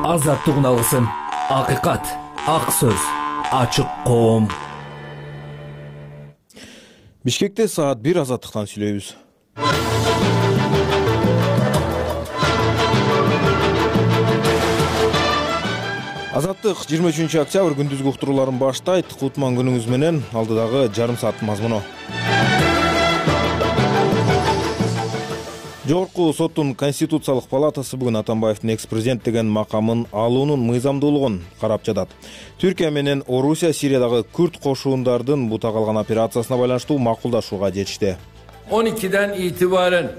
Азаттыгын алгысың. Акыйкат, ак сөз, ачык коом. Бишкекте саат 1 азаттыктан сүйлөйбүз. Азаттык 23 октябрь күндүзгү уктурууларын баштайт. Кутман күнүңүз менен, алдыдагы жарым саат мазмуну. Жогорку соттун Конституциялык палатасы бүгүн Атамбаевдин экс-президент деген макамын алуунун мыйзамдуулугун карап жатат. Түркия менен Орусия Сириядагы күрд кошуундардын бута калган операциясына байланыштуу макулдашууга жетишти. 12'den itibaren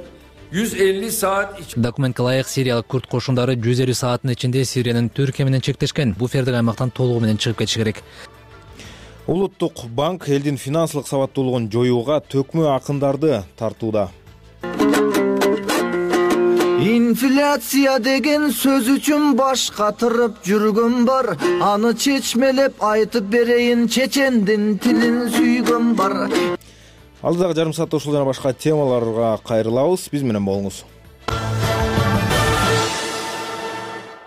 150 saat Документке ылайык сириялык күрд кошундары 150 сааттын ичинде Сириянын Түркия менен чектешкен буфердик аймактан толугу менен чыгып кетиши керек. Улуттук банк элдин финансылык сабаттуулугун жоюуга төкмө акындарды тартууда. Инфляция деген сөз үчүн баш катырып жүргөн бар. Аны чечмелеп айтып берейин, чечендин тилин сүйгөн бар. Алдыдагы жарым саатта ушул жана башка темаларга кайрылабыз. Биз менен болуңуз.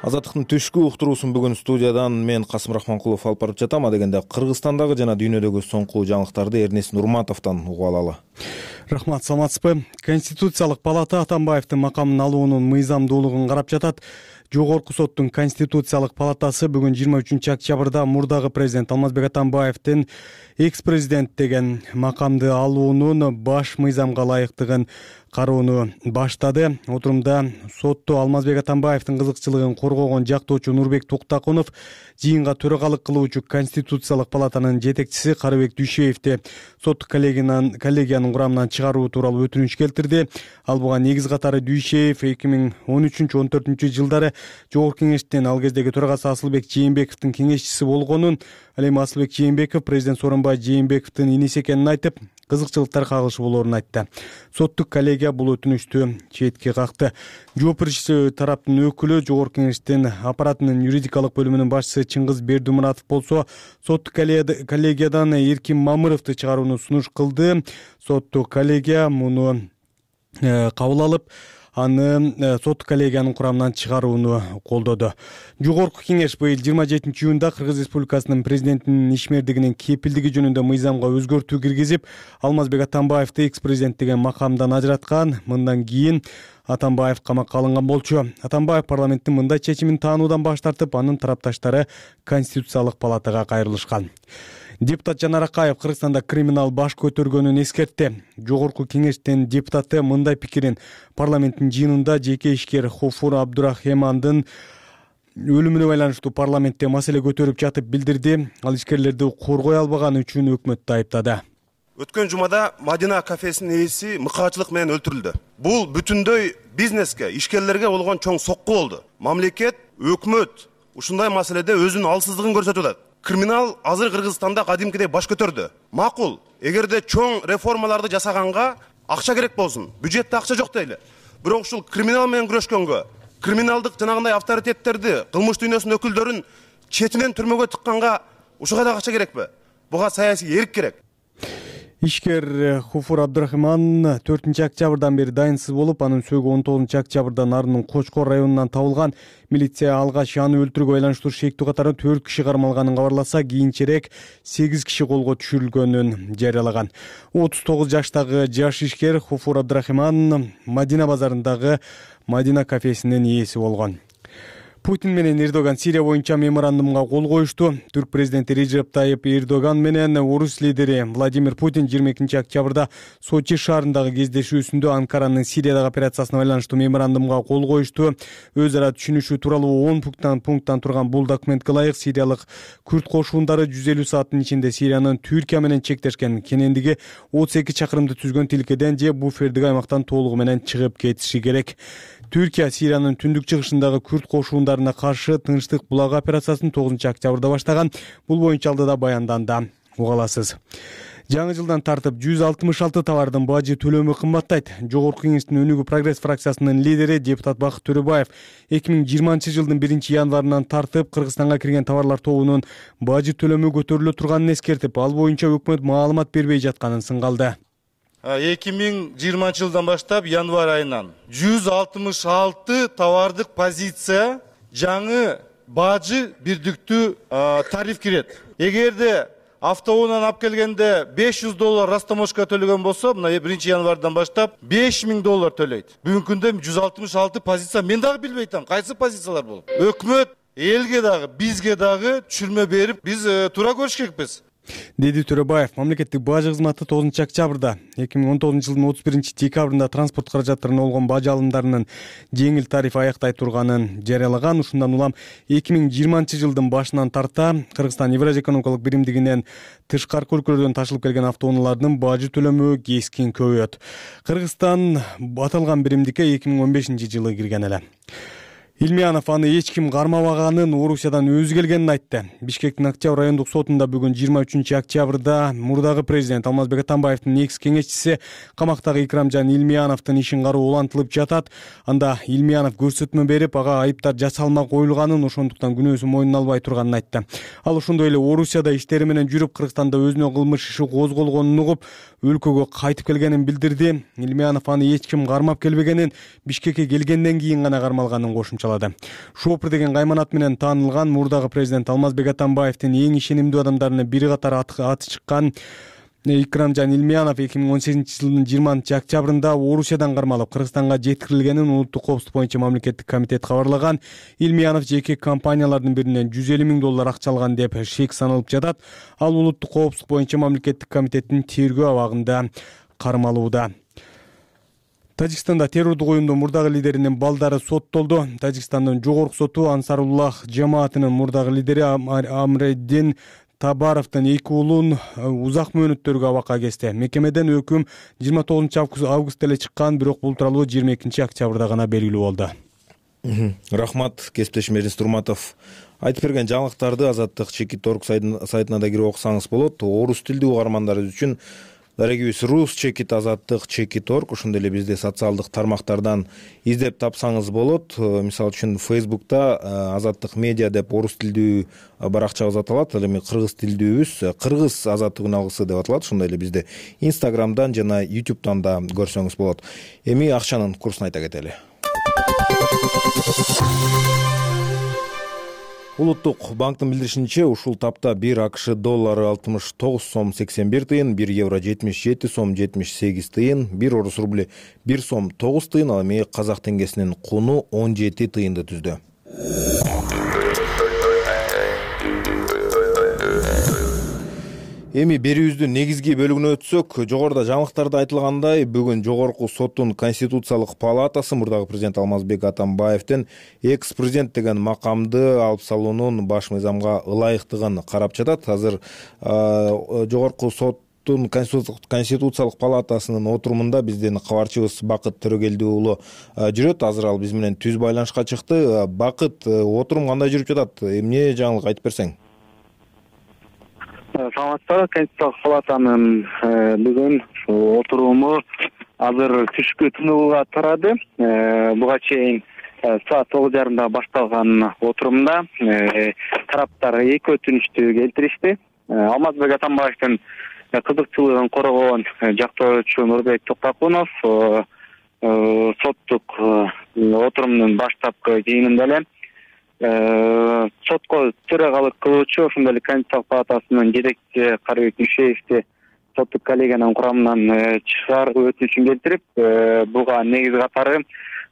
Азаттыктын түшкү уктуруусун бүгүн студиядан мен Касым Рахманкулов алып барып жатам. Дегенде Кыргызстандагы жана дүйнөдөгү соңку жаңылыктарды Эрнест Нурматовдон угуп алалы. Рахмат, саламатсызбы? Конституциялык палата Атамбаевдин макамын алуунун мыйзамдуулугун карап жатат. Жогорку соттун Конституциялык палатасы бүгүн 23 октябрда мурдагы президент Алмазбек Атамбаевдин экс-президент деген макамды алуунун баш мыйзамга ылайыктыгын кароону баштады. Отурумда сотто Алмазбек Атамбаевдин кызыкчылыгын коргогон жактоочу Нурбек Токтакунов, жыйынга төрагалык кылуучу Конституциялык палатанын жетекчиси Карыбек Дүйшеевди соттук коллегиянын курамынан чыгаруу тууралуу өтүнүч келтирди. Ал буга негиз катары Дүйшеев 2013-14 жылдары Жогорку кеңештин ал кездеги төрагасы Асылбек Жээнбековдун кеңешчиси болгонун, ал эми Асылбек Жээнбеков президент Сооронбай Жээнбековдун иниси экенин айтып, кызыкчылыктар кагылышы болоорун айтты. Соттук коллегия бул өтүнүчтү четке какты. Жооп берүүчү тараптын өкүлү Жогорку кеңештин аппаратынын юридикалык бөлүмүнүн башчысы Чыңгыз Бердимуратов болсо, соттук коллегиядан Эркин Мамыровду чыгарууну сунуш кылды. Соттук коллегия муну кабыл алып, аны соттук коллегиянын курамынан чыгарууну колдоду. Жогорку кеңеш быйыл 27 июнда Кыргыз Республикасынын президентинин ишмердигинин кепилдиги жөнүндө мыйзамга өзгөртүү киргизип, Алмазбек Атамбаевди экс-президент деген макамдан ажыраткан. Мындан кийин Атамбаев камакка алынган болчу. Атамбаев парламенттин мындай чечимин таануудан баш тартып, анын тарапташтары Конституциялык палатага кайрылышкан. Депутат Жанар Акаев Кыргызстанда криминал баш көтөргөнүн эскертти. Жогорку кеңештин депутаты мындай пикирин парламенттин жыйынында жеке ишкер Хофур Абдурахмандын өлүмүнө байланыштуу парламентте маселе көтөрүп жатып билдирди. Ал ишкерлерди коргой албаганы үчүн өкмөттү айыптады. Өткөн жумада Мадина кафесинин ээси мыкаачылык менен өлтүрүлдү. Бул бүтүндөй бизнеске, ишкерлерге болгон чоң сокку болду. Мамлекет, өкмөт ушундай маселеде өзүнүн алсыздыгын көрсөтүп атат. Криминал азыр Кыргызстанда кадимкидей баш көтөрдү. Макул, эгерде чоң реформаларды жасаганга акча керек болсун. Бюджетте акча жок дейли. Бирок ушул криминал менен күрөшкөнгө, криминалдык жанагындай авторитеттерди, кылмыш дүйнөсүнүн өкүлдөрүн четинен түрмөгө тыкканга ушуга да акча керекпи? Буга саясий эрк керек. Ишкер Хофур Абдурахман 4 октябрдан бери дайынсыз болуп, анын сөөгү 19 октябрда Нарынын Кочкор районунан табылган. Милиция алгач аны өлтүрүүгө байланыштуу шектүү катары 4 киши кармалганын кабарласа, кийинчерээк 8 киши колго түшүрүлгөнүн жарыялаган. 39 жаштагы жаш ишкер Хофур Абдурахман Мадина базарындагы Мадина кафесинин ээси болгон. Путин менен Эрдоган Сирия боюнча меморандумга кол коюшту. Түрк президенти Режеп Тайып Эрдоган менен орус лидери Владимир Путин 22 октябрда Сочи шаарындагы кездешүүсүндө Анкаранын Сириядагы операциясына байланыштуу меморандумга кол коюшту. Өз ара түшүнүшүү тууралуу 10 пункттан турган бул документке ылайык сириялык күрд кошуундары 150 сааттын ичинде Сириянын Түркия менен чектешкен кенендиги 32 чакырымды түзгөн тилкеден же буфердик аймактан толугу менен чыгып кетиши керек. Түркия Сириянын түндүк чыгышындагы күрд кошуундарына каршы тынчтык булагы операциясын 9 октябрда баштаган. Бул боюнча алдыда баянданда уга аласыз. Жаңы жылдан тартып 166 товардын бажы төлөмү кымбаттайт. Жогорку кеңештин Өнүгүү прогресс фракциясынын лидери депутат Бакыт Төрөбаев 2020 жылдын 1 январынан тартып Кыргызстанга кирген товарлар тобунун бажы төлөмү көтөрүлө турганын эскертип, ал боюнча өкмөт маалымат бербей жатканын сынгалды. 2020 жылдан баштап январь айынан 166 товардык позиция жаңы бажы бирдиктүү тариф кирет. Эгерде автоунаан алып келгенде $500 растаможка төлөгөн болсо, мына 1-январдан баштап $5000 төлөйт. Бүгүнкү күндө 166 позиция, мен дагы билбей атам, кайсы позициялар болуп. Өкмөт элге дагы, бизге дагы түшүрмө берип, биз туура көрүш керекпиз. Деди Төрөбаев. Мамлекеттик бажы кызматы 9 октябрда 2019 жылдын 31 декабрында транспорт каражаттарына болгон бажы алымдарынын жеңил тариф аяктай турганын жарыялаган. Ушундан улам 2020 жылдын башынан тарта Кыргызстан Евразия экономикалык биримдигинен тышкаркы өлкөлөрдөн ташылып келген автоунаалардын бажы төлөмү кескин көбөйөт. Кыргызстан аталган биримдикке 2015 жылы кирген эле. Илмиянов аны эч ким кармабаганын, Орусиядан өзү келгенин айтты. Бишкектин Октябрь райондук сотунда бүгүн 23 октябрда мурдагы президент Алмазбек Атамбаевдин негиз кеңешчиси камактагы Икрамжан Илмияновдун ишин кароо улантылып жатат. Анда Илмиянов көрсөтмө берип, ага айыптар жасалма коюлганын, ошондуктан күнөөсүн мойнуна албай турганын айтты. Ал ошондой эле Орусияда иштери менен жүрүп, Кыргызстанда өзүнө кылмыш иши козголгонун угуп, өлкөгө кайтып келгенин билдирди. Илмиянов аны эч ким кармап келбегенин, Бишкекке келгенден кийин гана кармалганын кошумчалады. Шопур деген кайманат менен таанылган мурдагы президент Алмазбек Атамбаевдин эң ишенимдүү адамдарынын бири катары аты чыккан Икрамжан Илмиянов 2018 жылдын 20 октябрында Орусиядан кармалып, Кыргызстанга жеткирилгенин улуттук коопсуздук боюнча мамлекеттик комитет кабарлаган. Илмиянов жеке компаниялардын биринен $150,000 акча алган деп шек саналып жатат. Ал улуттук коопсуздук боюнча мамлекеттик комитеттин тергөө абагында кармалууда. Тажикстанда террордук оюндун мурдагы лидеринин балдары соттолду. Тажикстандын жогорку соту Ансаруллах жамаатынын мурдагы лидери Амреддин Табаровдун 2 уулун узак мөөнөттөргө абакка кести. Мекемеден өкүм 29 августта эле чыккан, бирок бул тууралуу 22 октябрда гана белгилүү болду. Рахмат, кесиптешим Эрнис Турматов. Айтып берген жаңылыктарды Азаттык Чекит.org сайтына да кирип окусаңыз болот. Орус тилдүү угармандарыбыз үчүн дарегибиз Рус Чекит Азаттык Чекит.org, ошондой эле бизди социалдык тармактардан издеп тапсаңыз болот. Мисалы үчүн Facebook'та Азаттык медиа деп орус тилдүү баракчабыз аталат. Ал эми кыргыз тилдүүбүз Кыргыз Азаттык алгысы деп аталат. Ошондой эле бизди Instagram'дан жана YouTube'дан да көрсөңүз болот. Эми акчанын курсун айта кетели. Улуттук банктын билдиришинче, ушул тапта 1 АКШ доллары 69 сом 81 тыйын, 1 евро 77 сом 78 тыйын, 1 орус рубли 1 сом 9 тыйын, ал эми казак теңгесинин куну 17 тыйынды түздү. Эми берүүбүздүн негизги бөлүгүнө өтсөк, жогоруда жаңылыктарда айтылгандай, бүгүн Жогорку соттун Конституциялык палатасы мурдагы президент Алмазбек Атамбаевдин экс-президент деген макамды алып салуунун баш мыйзамга ылайыктыгын карап жатат. Азыр Жогорку соттун Конституциялык палатасынын отурумунда биздин кабарчыбыз Бакыт Төрөгелди уулу жүрөт. Азыр ал биз менен түз байланышка чыкты. Бакыт, отурум кандай жүрүп жатат? Эмне жаңылык айтып берсең? Саламатсызбы, Конституциялык палатанын бүгүн отуруму азыр түшкү тынууга тарады. Буга чейин саат 9:30 башталган отурумда тараптар эки өтүнүштү келтиришти. Алмазбек Атамбаевдин кызыкчылыгын коргоон жактоочу Нурбек Токтокунов соттук отурумдун баштапкы жыйынында эле сотко төрагалык кылуучу, ошондой эле Конституциялык палатасынын жетекчиси Карыбек Дүйшеевди соттук коллегиянын курамынан чыгарып өтүнүшүн келтирип, буга негиз катары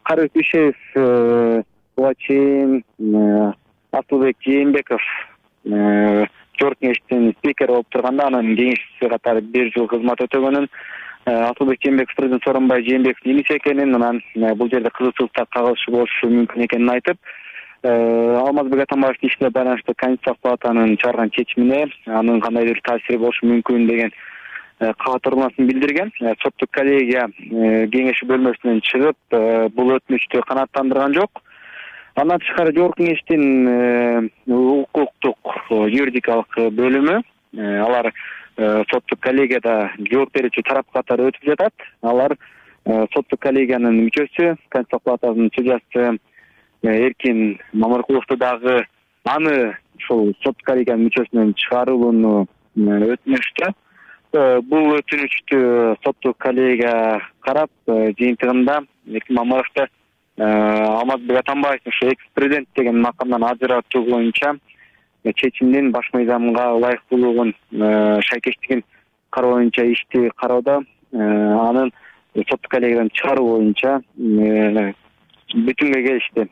Карыбек Дүйшеев буга чейин Асылбек Жээнбеков жогорку кеңештин спикери болуп турганда, анын кеңешчиси катары 1 жыл кызмат өтөгөнүн, Асылбек Жээнбеков президент Сооронбай Жээнбековдун иниси экенин, анан бул жерде кызыкчылыкта кагылышы болушу мүмкүн экенин айтып, Алмазбек Атамбаевдин ишине байланыштуу Конституциялык палатанын чыгарган чечимине анын кандайдыр таасири болушу мүмкүн деген каатырмасын билдирген. Соттук коллегия кеңеши бөлмөсүнөн чыгып, бул өтүнүштү канааттандырган жок. Андан тышкары жогорку кеңештин укуктук юридикалык бөлүмү, алар соттук коллегияда жооп берүүчү тарап катары өтүп жатат. Алар соттук коллегиянын мүчөсү, Конституциялык палатасынын судьясы Эркин Мамыркуловду дагы аны ушул соттук коллегиянын мүчөсүнөн чыгарууну өтүнүштү. Бул өтүнүштү соттук коллегия карап, жыйынтыгында Эркин Мамыровду Алмазбек Атамбаевдин ушу экс президент деген макамдан ажыратуу боюнча чечимдин баш мыйзамга ылайыктуулугун шайкештигин кароо боюнча ишти кароодо анын соттук коллегиядан чыгаруу боюнча бүтүнгө келишти.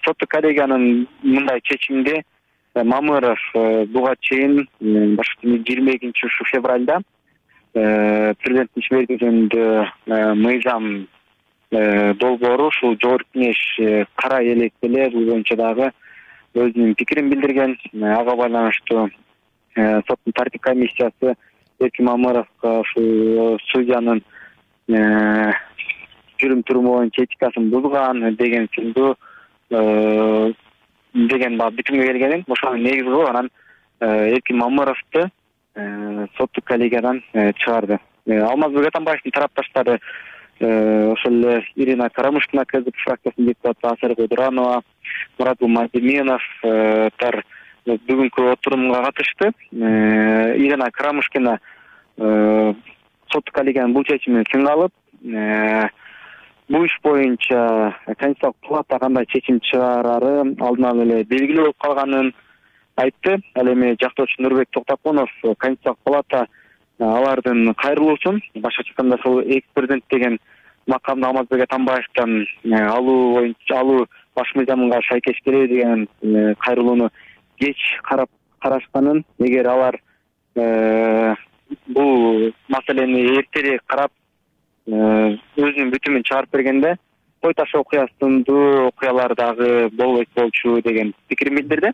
Соттук коллегиянын мындай чечимди Мамыров буга чейин 22 ушу февралда президенттин ишмердиги жөнүндө мыйзам долбоору ушул Жогорку Кеңеш карай электе эле бул боюнча дагы өзүнүн пикирин билдирген. Ага байланыштуу соттун тартип комиссиясы Эркин Мамыровго ушул судьянын жүрүм-туруму боюнча этикасын бузган деген сыяктуу деген бүтүнгө келген. Ошонун негизи кылып анан Эркин Мамыровду соттук коллегиядан чыгарды. Алмазбек Атамбаевдин тарапташтары ошол эле Ирина Карамушкина, КЗК фракциясынын депутаты Асар Кудуранова, Муратбул Мадиминовтар бүгүнкү отурумга катышты. Ирина Карамушкина соттук коллегиянын бул чечимин сынга алып, бул иш боюнча Конституциялык палата кандай чечим чыгарары алдын ала эле белгилүү болуп калганын айтты. Ал эми жактоочу Нурбек Токтокунов Конституциялык палата алардын кайрылуусун, башкача айтканда ошол экс президент деген макамды Алмазбек Атамбаевден алуу боюнча алуу баш мыйзамга шайкеш келеби деген кайрылууну кеч карашканын, эгер алар бул маселени эртерээк карап өзүнүн бүтүмүн чыгарып бергенде кой таш окуясындуу окуялар дагы болбойт болчу деген пикирин билдирди.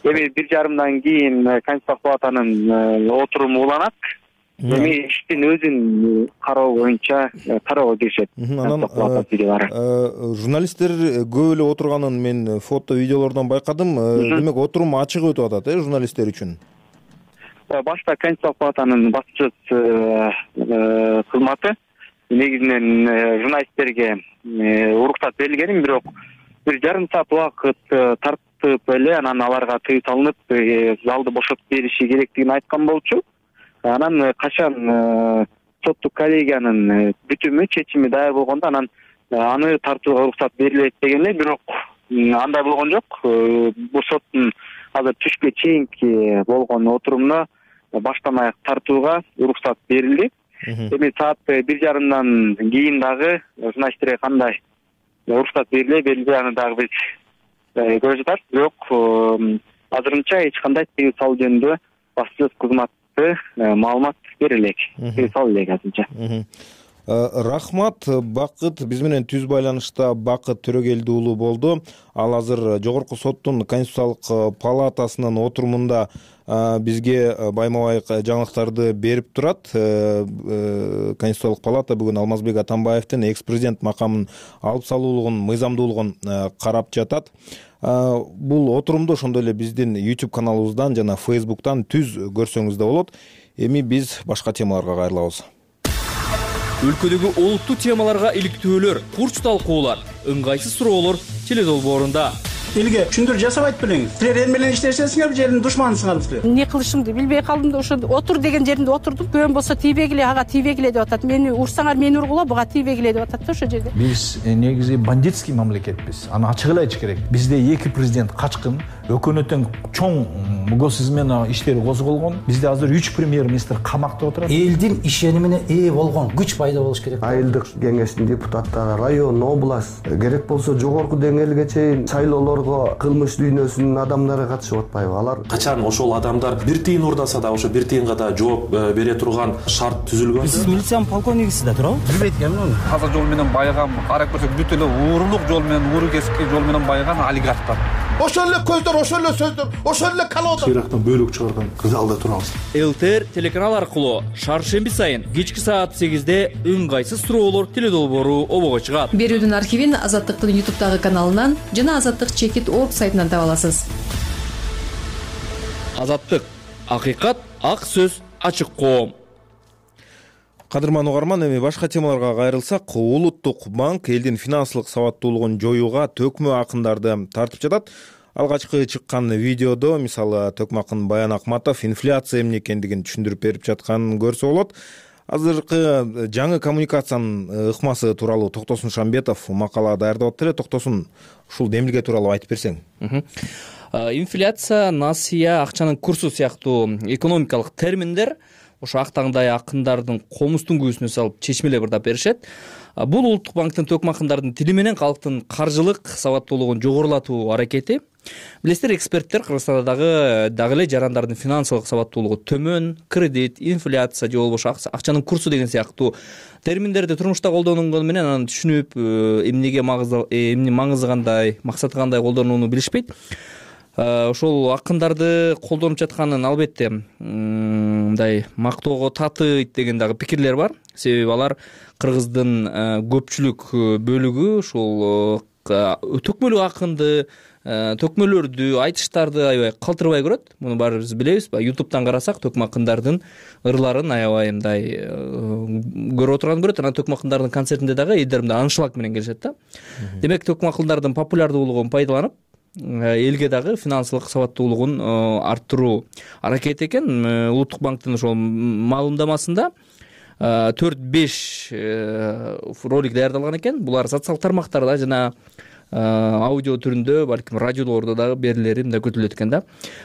Эми 1,5 кийин Конституциялык палатанын отуруму уланат. Эми иштин өзүн кароо боюнча кароого киришет. Журналисттер көп эле отурганын мен фото видеолордон байкадым. Демек отурум ачык өтүп атат, журналисттер үчүн. Башта Конституциялык палатанын басчысы кызматы негизинен журналисттерге уруксат берилген, бирок 1,5 саат убакыт тартып эле анан аларга тыюу салынып залды бошотуп бериши керектигин айткан болчу. Анан качан соттук коллегиянын бүтүмү чечими даяр болгондо анан аны тартууга уруксат берилет деген эле, бирок андай болгон жок. Бул соттун азыр түшкө чейинки болгон отурумуна баштан аяк тартууга уруксат берилди. Эми саат 1,5 кийин дагы журналисттерге кандай уруксат берилбей аны дагы биз көрүп жатат. Бирок азырынча эч кандай тыюу салуу жөнүндө басчылык кызматы маалымат бере элек. Тыюу салуу элек азырынча. Рахмат. Бакыт биз менен түз байланышта Бакыт Төрөгелди уулу болду. Ал азыр Жогорку соттун Конституциялык палатасынын отурумунда бизге байма-бай жаңылыктарды берип турат. Конституциялык палата бүгүн Алмазбек Атамбаевдин экс президент макамын алып салуулугун, мыйзамдуулугун карап жатат. Бул отурумду ошондой эле биздин YouTube каналыбыздан жана Facebook'тан түз көрсөңүз да болот. Эми биз башка темаларга кайрылабыз. Өлкөдөгү олуттуу темаларга иликтөөлөр, курч талкуулар, ыңгайсыз суроолор теледолбоорунда. Элге түшүндүрүү жасабайт белеңиз. Силер эл менен иштешесиңер, жердин душманысыңар силер. Эмне кылышымды билбей калдым да ошо отур деген жеринде отурдум. Көөм болсо тийбегиле, ага тийбегиле деп атат. Мени урсаңар мени ургула, буга тийбегиле деп атат да ошо жерде. Биз негизи бандитский мамлекетпиз. Аны ачык эле айтыш керек. Бизде эки президент качкын, өкмөттүн чоң госизмена иштери козголгон. Бизде азыр 3 премьер-министр камакта отурат. Элдин ишенимине ээ болгон күч пайда болуш керек. Айылдык кеңештин депутаттары, район, область, керек болсо жогорку деңгээлге чейин шайлоолорго кылмыш дүйнөсүнүн адамдары катышып атпайбы? Алар качан ошол адамдар бир тыйын урдаса да ошо бир тыйынга да жооп бере турган шарт түзүлгөн. Сиз милициянын полковнигисиз да туурабы? Билбейт экенмин. Каза жол менен байыган, карап көрсөк бүт эле уурулук жол менен, ууру кесикти жол менен байыган олигархтар. Ошол эле көздөр, ошол эле сөздөр, ошол эле калоодон Ирактан бөлүк чыгарган залда турабыз. ЛТР телеканал аркылуу шаршемби сайын кечки саат 8-де ыңгайсыз суроолор теледолбоору обого чыгат. Берүүдүн архивин Азаттыктын YouTube'дагы каналынан жана Азаттык чекит орг сайтынан таба аласыз. Азаттык, акыйкат, ак сөз, ачык коом. Кадырман угарман, эми башка темаларга кайрылсак, Улуттук банк элдин финансылык сабаттуулугун жоюуга төкмө акындарды тартып жатат. Алгачкы чыккан видеодо, мисалы, төкмө акын Баян Акматов инфляция эмне экендигин түшүндүрүп берип жатканын көрсө болот. Азыркы жаңы коммуникациянын ыкмасы тууралуу Токтосун Шамбетов макала даярдап атты эле. Токтосун, ушул демилге тууралуу айтып берсең. Инфляция, насыя, акчанын курсу сыяктуу экономикалык терминдер ошо актаңдай акындардын комузтун күүсүнө салып чечмелеп ырдап беришет. Бул Улуттук банктын төкмө акындардын тили менен калктын каржылык сабаттуулугун жогорулатуу аракети. Билесиздер, эксперттер Кыргызстанда дагы эле жарандардын финансылык сабаттуулугу төмөн, кредит, инфляция же болбосо акчанын курсу деген сыяктуу терминдерди турмушта колдонгону менен аны түшүнүп, эмнеге маңызы кандай, максаты кандай колдонууну билишпейт. Ошол акындарды колдонуп жатканын албетте мындай мактоого татыйт деген дагы пикирлер бар. Себеби алар кыргыздын көпчүлүк бөлүгү ушул төкмөлүү акынды, төкмөлөрдү, айтыштарды аябай калтырбай көрөт. Муну баарыбыз билебиз. YouTube'дан карасак, төкмө акындардын ырларын аябай мындай көрүп отурган көрөт. Анан төкмө акындардын концертинде дагы эдер мындай аншлаг менен келишет да. Демек, төкмө акындардын популярдуулугун пайдаланып, элге дагы финансылык сабаттуулугун арттыруу аракети экен. Улуттук банктын ошол маалымдамасында 4-5 ролик даярдалган экен. Булар социалдык тармактарда жана аудио түрүндө, балким радиолордо дагы берилери мындай күтүлөт экен да.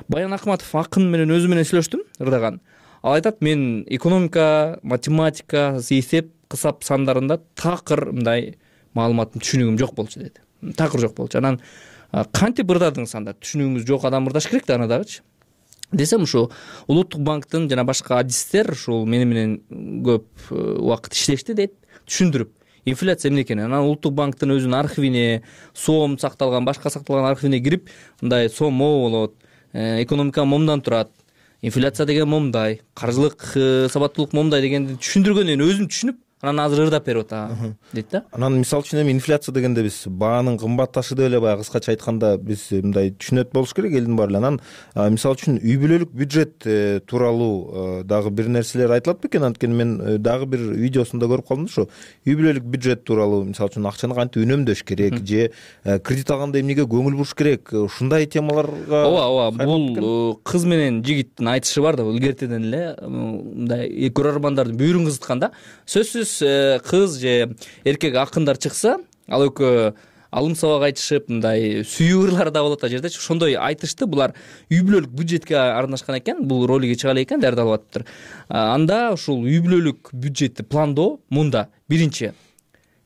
Баян Акматов акын менен өзү менен сүйлөштүм, ырдаган. Ал айтат, мен экономика, математика, эсеп, кысап сандарында такыр мындай маалыматтын түшүнүгүм жок болчу деди. Такыр жок болчу. Анан кантип ырдадыңыз анда? Түшүнүгүңүз жок адам ырдаш керек да аны дагычы. Десем, ушу Улуттук банктын жана башка адистер ушул менен көп убакыт иштешти дейт, түшүндүрүп. Инфляция эмне экенин, анан Улуттук банктын өзүнүн архивине, сом сакталган, башка сакталган архивине кирип, мындай сом могу болот, экономика момундан турат, инфляция деген момундай, каржылык сабаттуулук момундай дегенди түшүндүргөндөн кийин өзүм түшүнүп, анан азыр ырдап берип атам дейт да. Анан мисалы үчүн эми инфляция дегенде биз баанын кымбатташы деп эле баягы кыскача айтканда биз мындай түшүнөт болуш керек элдин баары эле. Анан мисалы үчүн үй бүлөлүк бюджет тууралуу дагы бир нерселер айтылат бекен? Анткени мен дагы бир видеосунда көрүп калдым да, ошо үй бүлөлүк бюджет тууралуу, мисалы үчүн акчаны кантип үнөмдөш керек же кредит алганда эмнеге көңүл буруш керек, ушундай темаларга. Ооба, бул кыз менен жигиттин айтышы бар да, бул илгертеден эле мындай көрөрмандардын бүйүрүн кызыткан да. Сөзсүз кыз же эркек акындар чыкса, ал экөө алым сабак айтышып, мындай сүйүү ырлары да болот а жердечи. Ошондой айтышты булар үй бүлөлүк бюджетке арнашкан экен. Бул ролиги чыга эле экен, даярдалып атыптыр. Анда ушул үй бүлөлүк бюджетти пландоо мында: биринчи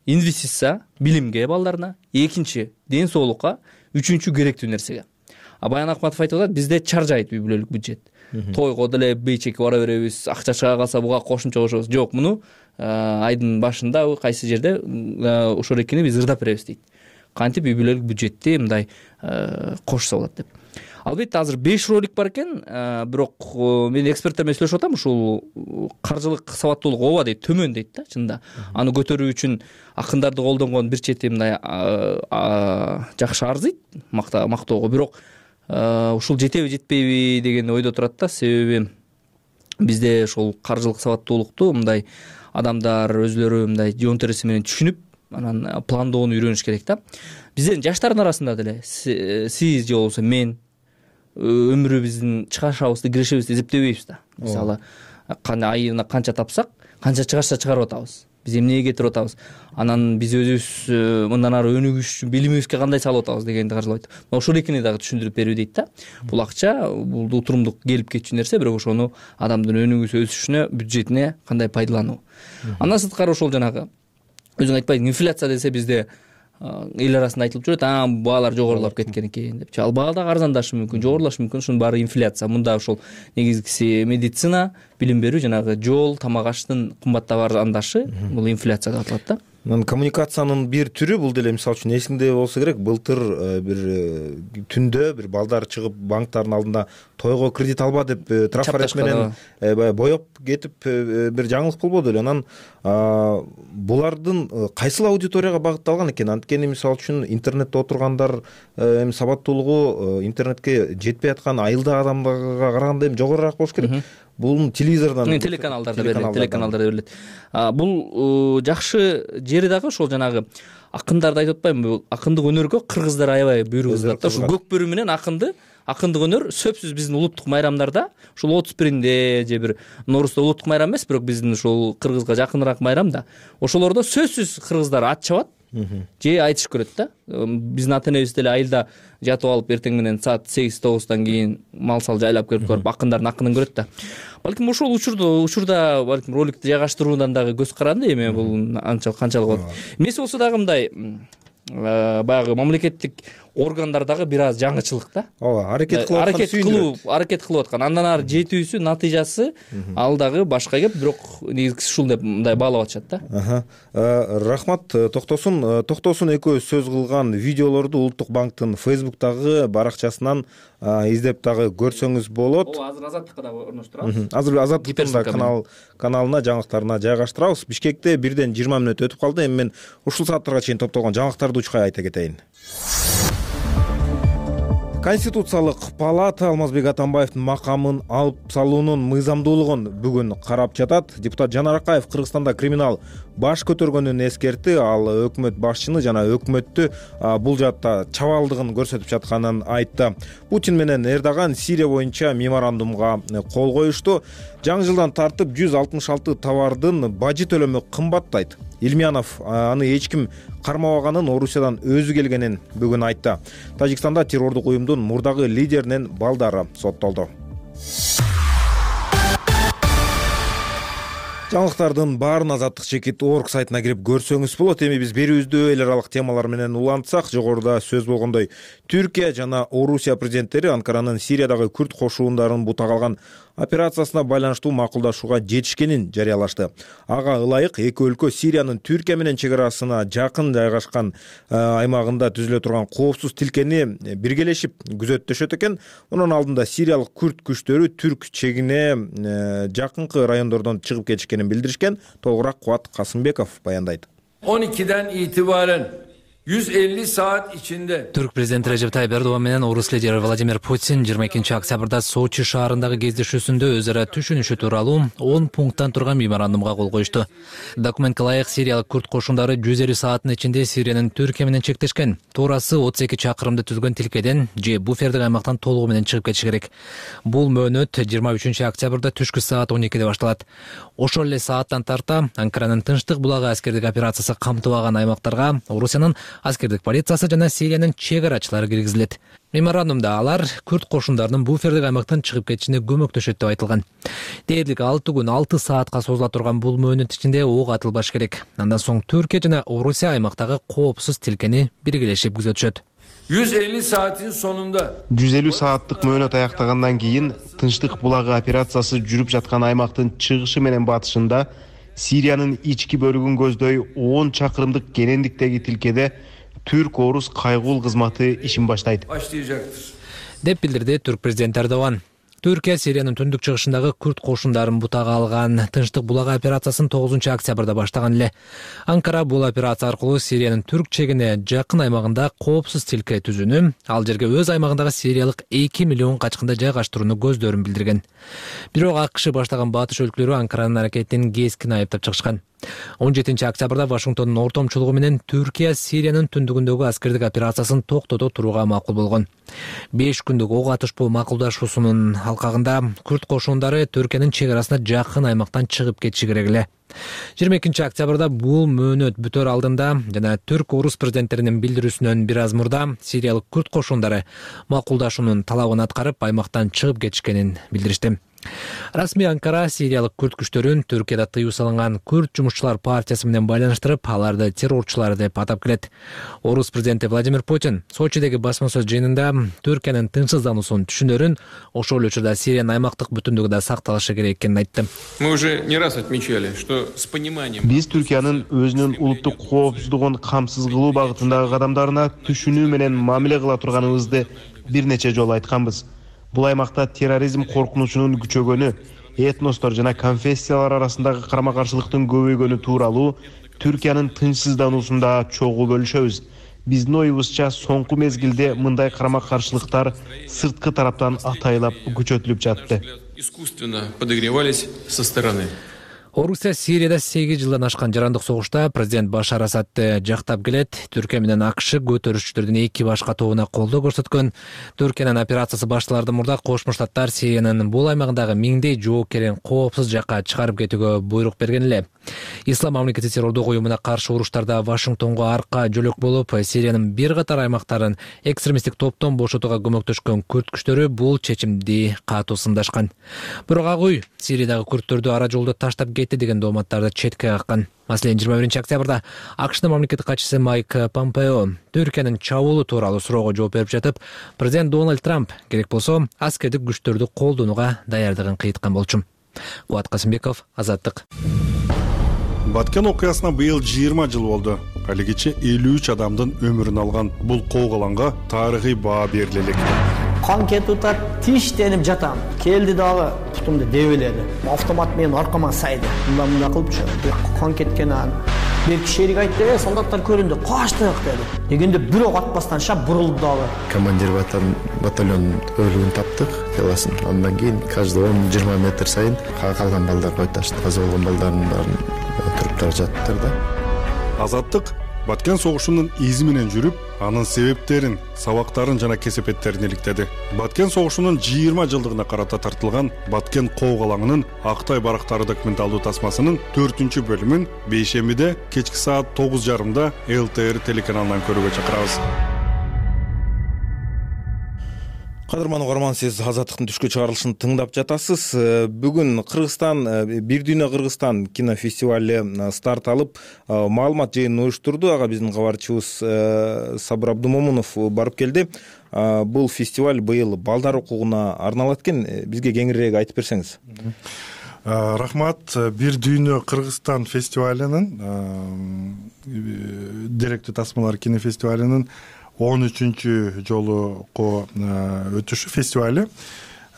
инвестиция билимге балдарына, экинчи ден соолукка, үчүнчү керектүү нерсеге. Баян Акматов айтып атат, бизде чаржайт үй бүлөлүк бюджет. Тойго деле бейчекке бара беребиз, акча чыга калса буга кошумча кошобуз. Жок, муну айдын башында кайсы жерде ошол экени биз ырдап беребиз дейт. Кантип үй бүлөлүк бюджетти мындай кошсо болот деп. Албетте азыр 5 ролик бар экен, бирок мен эксперттер менен сүйлөшүп атам, ушул каржылык сабаттуулук ооба дейт, төмөн дейт да, чынында. Аны көтөрүү үчүн акындарды колдонгон бир чети мындай жакшы арзыйт мактоого, бирок ушул жетеби жетпейби деген ойдо турат да. Себеби бизде ушул каржылык сабаттуулукту мындай адамдар өзлөрү мындай жон тереси менен түшүнүп, анан пландоону үйрөнүш керек да. Биздин жаштардын арасында деле сиз же болбосо мен өмүрүбүздүн чыгашабызды, кирешебизди эсептебейбиз да. Мисалы, айына канча тапсак, канча чыгашса чыгарып атабыз. Биз эмнеге кетирип атабыз? Анан биз өзүбүз мындан ары өнүгүш үчүн билимибизге кандай салып атабыз дегенди каржылайт. Ошол экени дагы түшүндүрүп берүү дейт да. Бул акча, бул утурумдук келип кетчү нерсе, бирок ошону адамдын өнүгүүсү, өсүшүнө, бюджетине кандай пайдалануу. Андан сырткары ошол жанагы өзүң айтпайсың, инфляция десе бизде эл арасында айтылып жүрөт, баалар жогорулап кеткен экен деп. Ал баа дагы арзандашы мүмкүн, жогорулашы мүмкүн, ушунун баары инфляция. Мында ошол негизгиси медицина, билим берүү, жанагы жол, тамак аштын кымбаттап арзандашы, бул инфляция деп аталат да. Коммуникациянын бир түрү бул деле, мисалы үчүн эсиңде болсо керек, былтыр бир түндө бир балдар чыгып банктардын алдында тойго кредит алба деп трафарет менен боеп кетип бир жаңылык болбоду эле. Анан булардын кайсыл аудиторияга багытталган экен? Анткени мисалы үчүн интернетте отургандар эми сабаттуулугу интернетке жетпей аткан айылдагы адамдарга караганда эми жогорураак болуш керек. Бул телевизордон, телеканалдарда берилет. Бул жакшы жери дагы ошол жанагы акындарды айтып атпаймынбы? Акындык өнөргө кыргыздар аябай буйрук ызгат да. Ушул көк бөрү менен акынды акындык өнөр сөзсүз биздин улуттук майрамдарда ушул 31-инде же бир Ноорузда улуттук майрам эмес, бирок биздин ушул кыргызга жакыныраак майрам да. Ошолордо сөзсүз кыргыздар ат чабат же айтыш көрөт да. Биздин ата энебиз деле айылда жатып алып эртең менен саат 8-9 кийин мал сал жайлап келип көрүп акындардын акынын көрөт да. Балким ошол учурда балким роликти жайгаштыруудан дагы көз каранды. Эми бул канчалык болот. Эмес болсо дагы мындай баягы мамлекеттик органдар дагы бир аз жаңычылык да. Ооба, аракет кылып аткан. Андан ары жетүүсү, натыйжасы ал дагы башка кеп, бирок негизгиси ушул деп мындай баалап атышат да. Рахмат. Токтосун экөөбүз сөз кылган видеолорду Улуттук банктын Facebook'тагы баракчасынан издеп дагы көрсөңүз болот. Ооба, азыр Азаттыкка дагы орноштурабыз. Азыр Азаттыктын каналына жаңылыктарына жайгаштырабыз. Бишкекте 1ден 20 мүнөт өтүп калды. Эми мен ушул сааттарга чейин топтолгон жаңылыктарды учкай айта кетейин. Конституциялык палата Алмазбек Атамбаевдин макамын алып салуунун мыйзамдуулугун бүгүн карап жатат. Депутат Жанар Акаев Кыргызстанда криминал баш көтөргөнүн эскертти. Ал өкмөт башчыны жана өкмөттү бул жаатта чабалдыгын көрсөтүп жатканын айтты. Путин менен Эрдоган Сирия боюнча меморандумга кол коюшту. Жаңы жылдан тартып 166 товардын бажы төлөмү кымбаттайт. Илмиянов аны эч ким кармабаганын, Орусиядан өзү келгенин бүгүн айтты. Тажикстанда террордук уюмдун мурдагы лидеринин балдары соттолду. Жаңылыктардын баарын Азаттык чекит.org сайтына кирип көрсөңүз болот. Эми биз берүүбүздү эл аралык темалар менен улантсак, жогоруда сөз болгондой, Түркия жана Орусия президенттери Анкаранын Сириядагы күрд кошуундарын бутага алган операциясына байланыштуу макулдашууга жетишкенин жарыялашты. Ага ылайык эки өлкө Сириянын Түркия менен чек арасына жакын жайгашкан аймагында түзүлө турган коопсуз тилкени биргелешип күзөттөшөт экен. Мунун алдында сириялык күрд күчтөрү түрк чегине жакынкы райондордон чыгып кетишкенин билдиришкен. Толугураак Кубат Касымбеков баяндайт. 12'den itibaren 150 saat içinde Türk prezidenti Recep Tayyip Erdoğan менен орус лидери Владимир Путин 22 октябрда Сочи шаарындагы кездешүүсүндө өзара түшүнүшү тууралуу 10 пункттан турган меморандумга кол коюшту. Документке ылайык сириялык күрд кошундары 150 сааттын ичинде Сириянын Түркия менен чектешкен. Туурасы 32 чакырымды түзгөн тилкеден же буфердик аймактан толугу менен чыгып кетиши керек. Бул мөөнөт 23 октябрда түшкү саат 12де башталат. Ошол эле сааттан тарта Анкаранын Тынчтык булагы аскердик операциясы камтыбаган аймактарга Орусиянын аскердик полициясы жана Сириянын чек арачылары киргизилет. Меморандумда алар күрд кошундарынын буфердик аймактан чыгып кетишине көмөктөшөт деп айтылган. Дээрлик 6 күн 6 саатка созула турган бул мөөнөт ичинде ок атылбаш керек. Андан соң Түркия жана Орусия аймактагы коопсуз тилкени биргелешип күзөтүшөт. 150 saatin sonunda 150 saatlık möөнөт аяктагандан кийин Тынчтык булагы операциясы жүрүп жаткан аймактын чыгышы менен батышында Сириянын ички бөлүгүн көздөй 10 чакырымдык кенендиктеги тилкеде Түрк-Орус кайгул кызматы ишин баштайт деп билдирди Түрк президенти Эрдоган. Түркия Сириянын түндүк чыгышындагы күрд кошундарын бутага алган Тынчтык булагы операциясын 9 октябрда баштаган эле. Анкара бул операция аркылуу Сириянын түрк чегине жакын аймагында коопсуз тилке түзүүнү, ал жерге өз аймагындагы сириялык 2 миллион качкынды жайгаштырууну көздөрүн билдирген. Бирок АКШ баштаган батыш өлкөлөрү Анкаранын аракетин кескин айыптап чыгышкан. 17 октябрда Вашингтондун ортомчулугу менен Түркия Сириянын түндүгүндөгү аскердик операциясын токтото турууга макул болгон. 5 күндүк ок атышпоо макулдашуусунун алкагында күрд кошундары Түркиянын чек арасына жакын аймактан чыгып кетиши керек эле. 22 октябрда бул мөөнөт бүтөр алдында жана түрк-орус президенттеринин билдирүүсүнөн бир аз мурда сириялык күрд кошундары макулдашуунун талабын аткарып аймактан чыгып кетишкенин билдиришти. Расмий Анкара сириялык күрд күчтөрүн Түркияда тыюу салынган күрд жумушчулар партиясы менен байланыштырып, аларды террорчулар деп атап келет. Орус президенти Владимир Путин Сочидеги басма сөз жыйынында Түркиянын тынчсыздануусун түшүнөрүн, ошол эле учурда Сириянын аймактык бүтүндүгү да сакталышы керек экенин айтты. Мы уже не раз отмечали, что с пониманием биз Түркиянын өзүнүн улуттук коопсуздугун камсыз кылуу багытындагы кадамдарына түшүнүү менен мамиле кыла турганыбызды бир нече жолу айтканбыз. Бул аймакта терроризм коркунучунун күчөгөнү, этностор жана конфессиялар арасындагы карама-каршылыктын көбөйгөнү тууралуу Түркиянын тынчсыздануусунда чогуу бөлүшөбүз. Биздин оюбузча соңку мезгилде мындай карама-каршылыктар сырткы тараптан атайлап күчөтүлүп жатты. Искусственно подогревались со стороны. Орусия Сирияда 8 жылдан ашкан жарандык согушта президент Башар Асадты жактап келет. Түркия менен АКШ көтөрүшчүлөрдүн эки баш катууна колдоо көрсөткөн. Түркиянын операциясы башталардан мурда Кошмо Штаттар Сириянын бул аймагындагы миңдей жоокерин коопсуз жакка чыгарып кетүүгө буйрук берген эле. Ислам мамлекети террордук уюмуна каршы уруштарда Вашингтонго арка жөлөк болуп, Сириянын бир катар аймактарын экстремисттик топтон бошотууга көмөктөшкөн күрд күчтөрү бул чечимди катуу сындашкан. Бирок ак үй Сириядагы күрдтөрдү ара жолдо таштап кетти деген дооматтарды четке каккан. Маселен, 21-октябрда АКШнын мамлекеттик катчысы Майк Помпео Түркиянын чабуулу тууралуу суроого жооп берип жатып, президент Дональд Трамп керек болсо аскердик күчтөрдү колдонууга даярдыгын кыйткан болчу. Кубат Касымбеков, Азаттык. Баткен окуясына быйыл 20 жыл болду. Алигиче 53 адамдын өмүрүн алган бул коогаланга тарыхый баа бериле элек. Кан кетип атат, тиштенип жатам. Келди дагы бутумду дебеледи. Автомат менен аркама сайды. Мындай кылыпчы. Кан кеткен бир кишилик айтты, солдаттар көрүндү, качтык деди. Дегенде бир ок атпастан шап бурулду дагы. Командир батальон өлүгүн таптык, теласын. Андан кийин каждый 10-20 метр сайын калган балдар койташты. Каза болгон балдардын баарын туруптар жаттыр да. Азаттык Баткен согушунун изи менен жүрүп, анын себептерин, сабактарын жана кесепеттерин иликтеди. Баткен согушунун 20 жылдыгына карата тартылган Баткен коогалаңынын Актай барактары документалдуу тасмасынын 4-бөлүмүн бейшембиде кечки саат 9:30 ЛТР телеканалынан көрүүгө чакырабыз. Кадырман угарман, сиз Азаттыктын түшкү чыгарылышын тыңдап жатасыз. Бүгүн Кыргызстан, Бир дүйнө Кыргызстан кинофестивали старт алып, маалымат жыйынын уюштурду. Ага биздин кабарчыбыз Сабыр Абдумомунов барып келди. Бул фестиваль быйыл балдар укугуна арналат экен. Бизге кеңирээк айтып берсеңиз. Рахмат. Бир дүйнө Кыргызстан фестивалынын деректүү тасмалар кинофестивалынын 13 жолуку өтүшү фестивали.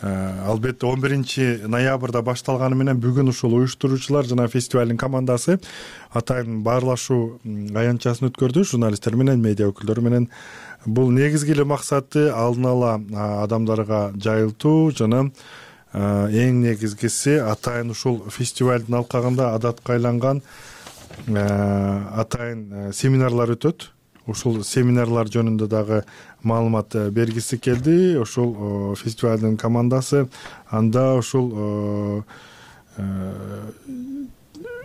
Албетте 11 ноябрда башталганы менен бүгүн ушул уюштуруучулар жана фестивалдын командасы атайын баарлашуу аянтчасын өткөрдү журналисттер менен, медиа өкүлдөрү менен. Бул негизги эле максаты алдын ала адамдарга жайылтуу жана эң негизгиси атайын ушул фестивалдын алкагында адатка айланган атайын семинарлар өтөт. Ушул семинарлар жөнүндө дагы маалымат бергиси келди. Ушул фестивалдын командасы анда ушул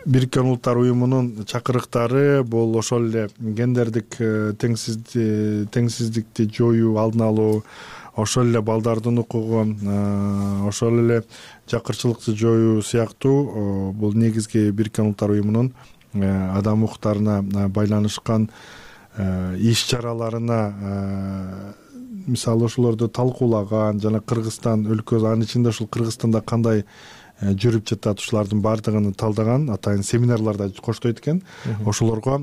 Бириккен Улуттар уюмунун чакырыктары бул ошол эле гендердик теңсиздикти жоюу, алдын алуу, ошол эле балдардын укугу, ошол эле жакырчылыкты жоюу сыяктуу бул негизги Бириккен Улуттар уюмунун адам укуктарына байланышкан иш-чараларына мисалы ошолорду талкуулаган жана Кыргызстан өлкөсү, анын ичинде ушул Кыргызстанда кандай жүрүп жатат ушулардын баардыгын талдаган атайын семинарларда коштойт экен. Ошолорго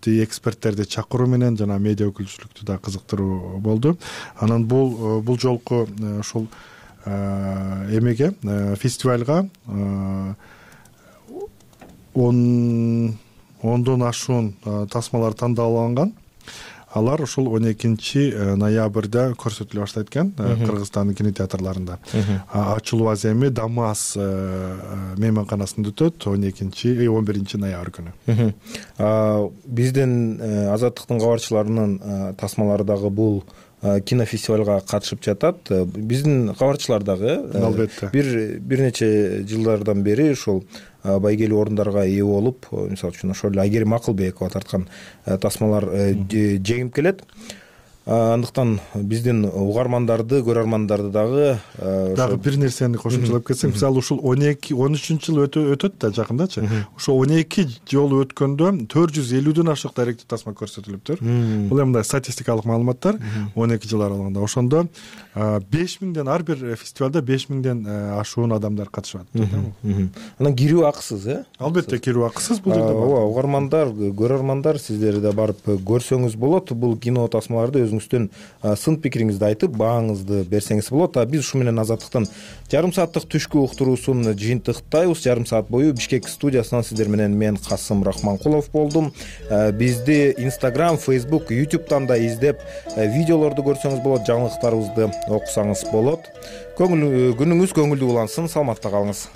эксперттерди чакыруу менен жана медиа өкүлчүлүктү да кызыктыруу болду. Анан бул жолку ушул эмеге фестивалга 10дон ашуун тасмалар тандалган. Алар ушул 12 ноябрда көрсөтүлө баштайт экен Кыргызстандын кинотеатрларында. Ачылуу аземи Дамас мейманканасында өтөт 11 ноябрь күнү. Биздин Азаттыктын кабарчыларынын тасмалары дагы бул кинофестивалга катышып жатат. Биздин кабарчылар дагы бир нече жылдардан бери ушул байгелүү орундарга ээ болуп, мисалы үчүн ошол эле Айгерим Акылбекова тарткан тасмалар жеңип келет. Андыктан биздин угармандарды, көрөрмандарды дагы бир нерсени кошумчалап кетсем, мисалы ушул 13-жыл өтөт да жакындачы. Ошо 12 жолу өткөндө 450дөн ашык даректүү тасма көрсөтүлүптүр. Бул мындай статистикалык маалыматтар 12 жыл аралыгында. Ошондо 5000ден ар бир фестивалда 5000ден ашуун адамдар катышат. Анан кирүү акысыз, Албетте кирүү акысыз бул жерде. Ооба, угармандар, көрөрмандар, сиздер да барып көрсөңүз болот. Бул кино тасмаларды өзүңүздүн сын пикириңизди айтып, бааңызды берсеңиз болот. Биз ушу менен Азаттыктын жарым сааттык түшкү уктуруусун жыйынтыктайбыз. Жарым саат бою Бишкек студиясынан сиздер менен мен Касым Рахманкулов болдум. Бизди Instagram, Facebook, YouTube'дан да издеп, видеолорду көрсөңүз болот, жаңылыктарыбызды окусаңыз болот. Күнүңүз көңүлдүү улансын, саламатта калыңыз.